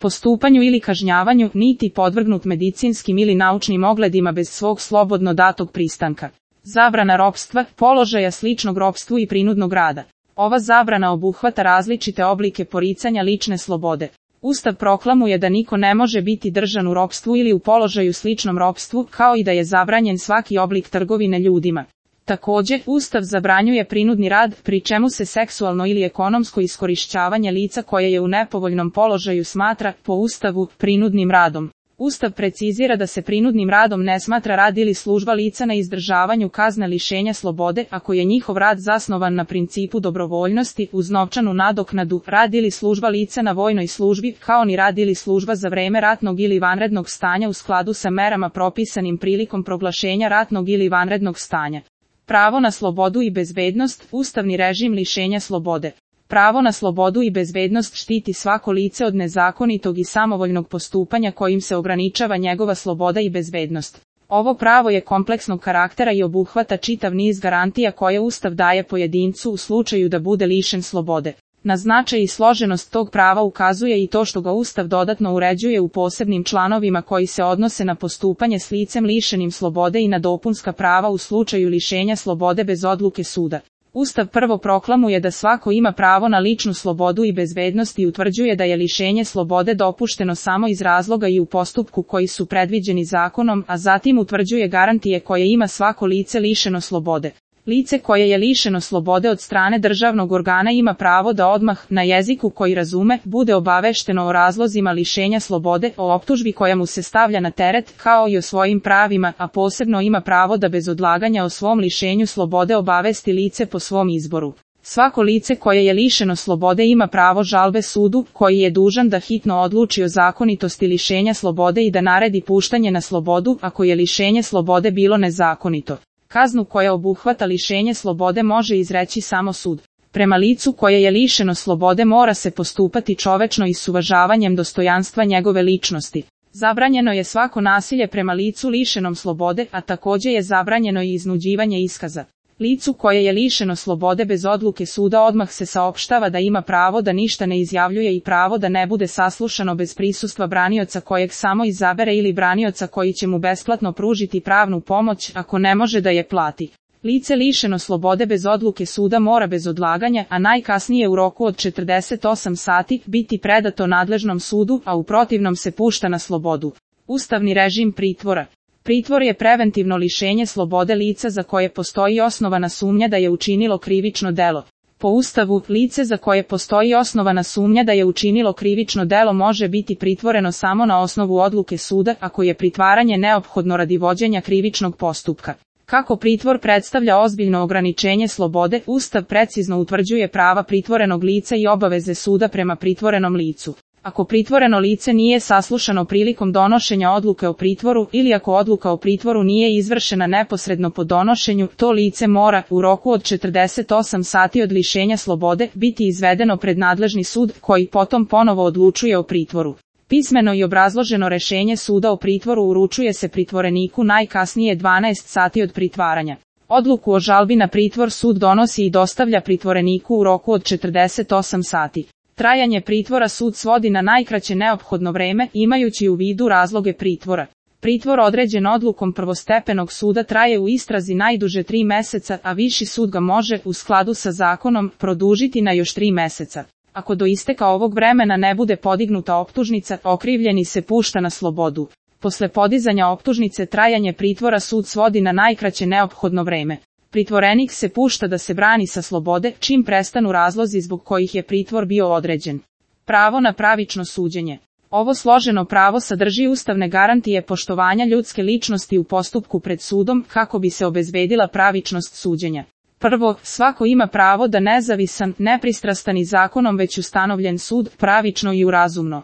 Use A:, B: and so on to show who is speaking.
A: postupanju ili kažnjavanju, niti podvrgnut medicinskim ili naučnim ogledima bez svog slobodno datog pristanka. Zabrana ropstva, položaja sličnog ropstvu i prinudnog rada. Ova zabrana obuhvata različite oblike poricanja lične slobode. Ustav proklamuje da niko ne može biti držan u ropstvu ili u položaju sličnom ropstvu, kao i da je zabranjen svaki oblik trgovine ljudima. Takođe, Ustav zabranjuje prinudni rad, pri čemu se seksualno ili ekonomsko iskorišćavanje lica koje je u nepovoljnom položaju smatra, po Ustavu, prinudnim radom. Ustav precizira da se prinudnim radom ne smatra rad ili služba lica na izdržavanju kazne lišenja slobode, ako je njihov rad zasnovan na principu dobrovoljnosti, uz novčanu nadoknadu, rad ili služba lica na vojnoj službi, kao ni rad ili služba za vreme ratnog ili vanrednog stanja u skladu sa merama propisanim prilikom proglašenja ratnog ili vanrednog stanja. Pravo na slobodu i bezbednost, ustavni režim lišenja slobode. Pravo na slobodu i bezbednost štiti svako lice od nezakonitog i samovoljnog postupanja kojim se ograničava njegova sloboda i bezbednost. Ovo pravo je kompleksnog karaktera i obuhvata čitav niz garantija koje Ustav daje pojedincu u slučaju da bude lišen slobode. Na značaj i složenost tog prava ukazuje i to što ga Ustav dodatno uređuje u posebnim članovima koji se odnose na postupanje s licem lišenim slobode i na dopunska prava u slučaju lišenja slobode bez odluke suda. Ustav prvo proklamuje da svako ima pravo na ličnu slobodu i bezbednost i utvrđuje da je lišenje slobode dopušteno samo iz razloga i u postupku koji su predviđeni zakonom, a zatim utvrđuje garantije koje ima svako lice lišeno slobode. Lice koje je lišeno slobode od strane državnog organa ima pravo da odmah, na jeziku koji razume, bude obavešteno o razlozima lišenja slobode, o optužbi koja mu se stavlja na teret, kao i o svojim pravima, a posebno ima pravo da bez odlaganja o svom lišenju slobode obavesti lice po svom izboru. Svako lice koje je lišeno slobode ima pravo žalbe sudu, koji je dužan da hitno odluči o zakonitosti lišenja slobode i da naredi puštanje na slobodu, ako je lišenje slobode bilo nezakonito. Kaznu koja obuhvata lišenje slobode može izreći samo sud. Prema licu koje je lišeno slobode mora se postupati čovečno i s uvažavanjem dostojanstva njegove ličnosti. Zabranjeno je svako nasilje prema licu lišenom slobode, a takođe je zabranjeno i iznuđivanje iskaza. Licu koje je lišeno slobode bez odluke suda odmah se saopštava da ima pravo da ništa ne izjavljuje i pravo da ne bude saslušano bez prisustva branioca kojeg samo izabere ili branioca koji će mu besplatno pružiti pravnu pomoć ako ne može da je plati. Lice lišeno slobode bez odluke suda mora bez odlaganja, a najkasnije u roku od 48 sati, biti predato nadležnom sudu, a u protivnom se pušta na slobodu. Ustavni režim pritvora. Pritvor je preventivno lišenje slobode lica za koje postoji osnovana sumnja da je učinilo krivično delo. Po Ustavu, lice za koje postoji osnovana sumnja da je učinilo krivično delo može biti pritvoreno samo na osnovu odluke suda, ako je pritvaranje neophodno radi vođenja krivičnog postupka. Kako pritvor predstavlja ozbiljno ograničenje slobode, Ustav precizno utvrđuje prava pritvorenog lica i obaveze suda prema pritvorenom licu. Ako pritvoreno lice nije saslušano prilikom donošenja odluke o pritvoru ili ako odluka o pritvoru nije izvršena neposredno po donošenju, to lice mora, u roku od 48 sati od lišenja slobode, biti izvedeno pred nadležni sud, koji potom ponovo odlučuje o pritvoru. Pismeno i obrazloženo rešenje suda o pritvoru uručuje se pritvoreniku najkasnije 12 sati od pritvaranja. Odluku o žalbi na pritvor sud donosi i dostavlja pritvoreniku u roku od 48 sati. Trajanje pritvora sud svodi na najkraće neophodno vreme, imajući u vidu razloge pritvora. Pritvor određen odlukom prvostepenog suda traje u istrazi najduže 3 meseca, a viši sud ga može, u skladu sa zakonom, produžiti na još 3 meseca. Ako do isteka ovog vremena ne bude podignuta optužnica, okrivljeni se pušta na slobodu. Posle podizanja optužnice trajanje pritvora sud svodi na najkraće neophodno vreme. Pritvorenik se pušta da se brani sa slobode, čim prestanu razlozi zbog kojih je pritvor bio određen. Pravo na pravično suđenje. Ovo složeno pravo sadrži ustavne garantije poštovanja ljudske ličnosti u postupku pred sudom, kako bi se obezbedila pravičnost suđenja. Prvo, svako ima pravo da nezavisan, nepristrastan i zakonom već ustanovljen sud, pravično i urazumno